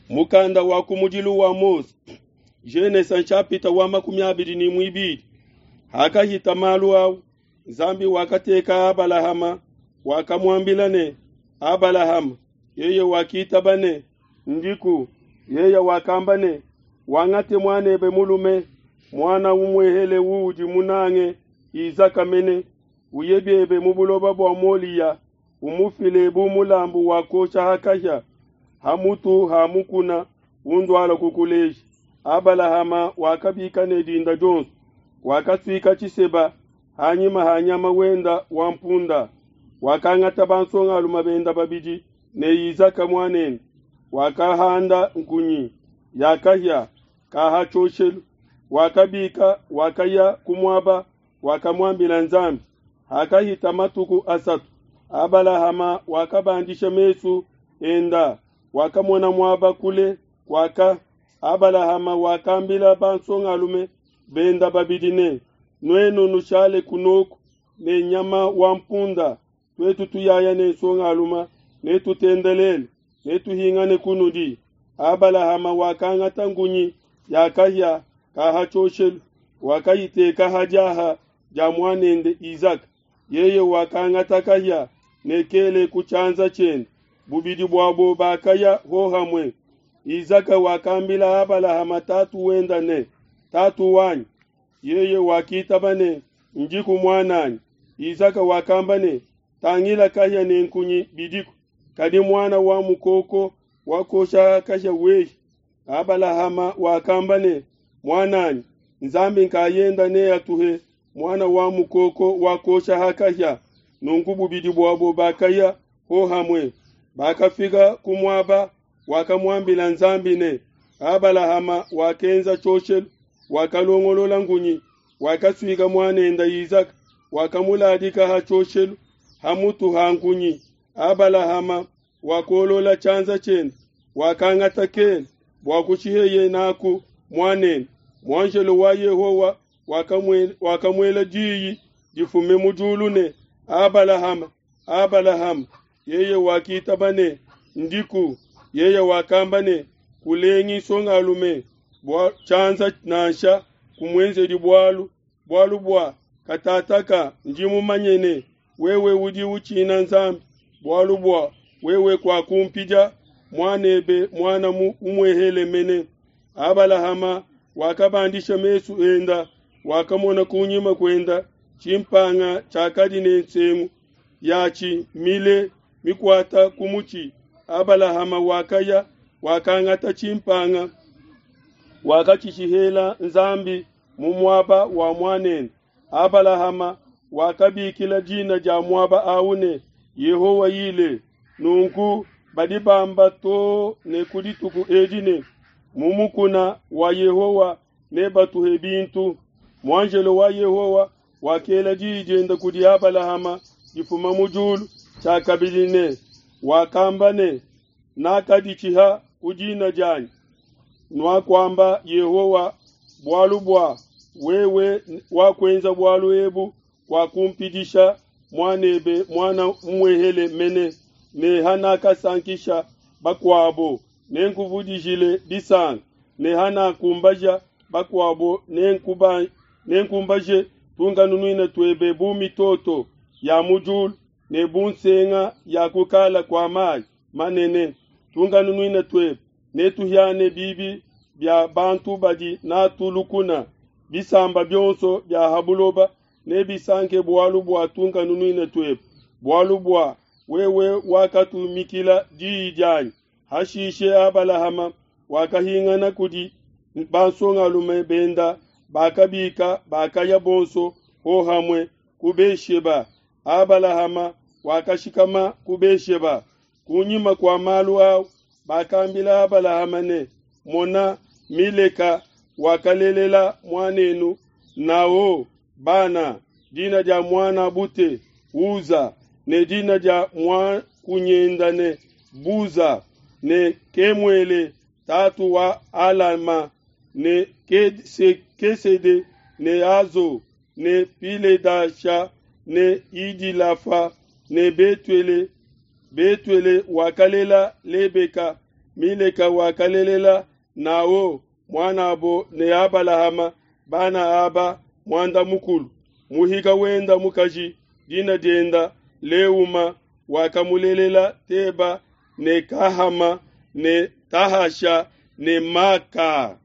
Mukanda wa kumudilu wa Mose, Genesa nshapita wa 22. Hakahita malu au, Nzambi wakateka Abalahama, wakamuambila ne, Abalahama, yeye wakitaba ne, Ndiku. Yeye wakamba ne, Wangate muanebe mulume, muana umuehele uudi munange, Izaka mene, uye biebe mu buloba bua Moliya, umufile bu mulambu wa kuosha ha kahia ha mutu ha mukuna unduala kukuleja. Abalahama wakabika ne dinda dionso, wakasuika tshiseba hanyima ha nyama wenda wa mpunda, wakangata bansongalume benda babidi ne Izaka muanende, wakahanda nkunyi ya kahia ka ha tshioshelu, wakabika wakaya ku muaba wakamuambila Nzambi. Hakahita matuku asatu, Abalahama wakabandisha mesu enda, wakamona muaba kule kuaka. Abalahama wakambila bansongalume benda babidi ne, Nuenu nushale kunoku ne nyama wa mpunda, tuetu tuyaya ne nsongalume, netutendelele, netuhingane kunudi. Abalahama wakangata ngunyi ya kahia ka ha tshioshelu, wakayiteka ha diaha dia muanende Izaka. Yeye wakangata kahia ne kele ku tshianza tshiende, bubidi buabo bakaya hohamue. Izaka wakambila Abalahama tatu wenda ne, Tatu wanyi. Yeye wakitaba ne, Ndiku muananyi. Izaka wakamba ne, Tangila kahia ne nkunyi bidiku, kadi muana wa mukoko wakosha kahia wehi. Abalahama wakamba ne, Muananyi, Nzambi nkayenda neatuhe muana wa mukoko wakosha ha kahia. Nunku bubidi buabo bakaya hohamue. Bakafika ku muaba wakamuambila Nzambi ne, Abalahama wakenza tshioshelu, wakalongolola ngunyi, wakasuika muanende Izaka, wakamuladika ha tshioshelu ha mutu ha nkunyi. Abalahama wakolola tshianza tshiende, wakangata kele bua kushiheye naku muanende. Muanjelo wa Yehowa wakamuela diyi difume mu diulu ne, Abalahama, Abalahama. Yeye wakitaba ne, Ndiku. Yeye wakamba ne, Kulengi nsongalume bua tshianza nansha kumuenzedi bualu, bualu bua katataka ndi mumanye ne, wewe udi utshina Nzambi, bualu bua wewe kuakumpidia muanebe muana umuehele mene. Abalahama wakabandisha mesu enda, wakamona kunyima kuenda tshimpanga tshiakadi ne nsengu yatshi mile mikuata ku mutshi. Abalahama wakaya, wakangata tshimpanga, wakatshishihela Nzambi mu muaba wa muanende. Abalahama wakabikila dina dia muaba au ne, Yehowa Yile. Nunku badi bamba too ne ku dituku edi ne, Mu mukuna wa Yehowa nebatuhe bintu. Muanjelo wa Yehowa wakela diyi diende kudi Abalahama difuma mu diulu tshiakabidi ne, wakamba ne, Nakaditshiha ku dina dianyi, nuakuamba Yehowa, bualu bua wewe wakuenza bualu ebu, kuakumpidisha muanebe muana umuehele mene, ne hanakasankisha bakuabo, nenkuvudijile disanka, ne hanakumbaja bakuabo, nenkumbaje tunkanunuina tuebe bu mitoto ya mu diulu ne bu nsenga ya kukala kua mayi manene. Tunkanunuina tuebe netuhiane bibi bia bantu badi n'atu lukuna, bisamba bionso bia ha buloba nebisanke bualu bua tunkanunuina tuebe, bualu bua wewe wakatumikila diyi dianyi. Hashishe Abalahama wakahingana kudi bansongalume benda, bakabika bakaya bonso hohamue ku Be-sheba. Abalahama wakashikama ku Be-sheba. Kunyima kua malu au bakambila Abalahama ne, Mona, Mileka wakalelela muanenu Naho bana, dina dia muana bute Uza, ne dina dia muakunyenda ne Buza, ne Kemuele tatu wa Alama, ne Kesede, ne Azo, ne Piledasha, ne Idilafa, ne Betuele. Betuele wakalela Lebeka. Mileka wakalelela Naho muanabo ne Abalahama bana aba muanda mukulu. Muhika wenda mukaji dina dienda Leuma wakamulelela Teba ne Kahama ne Tahasha ne Maka.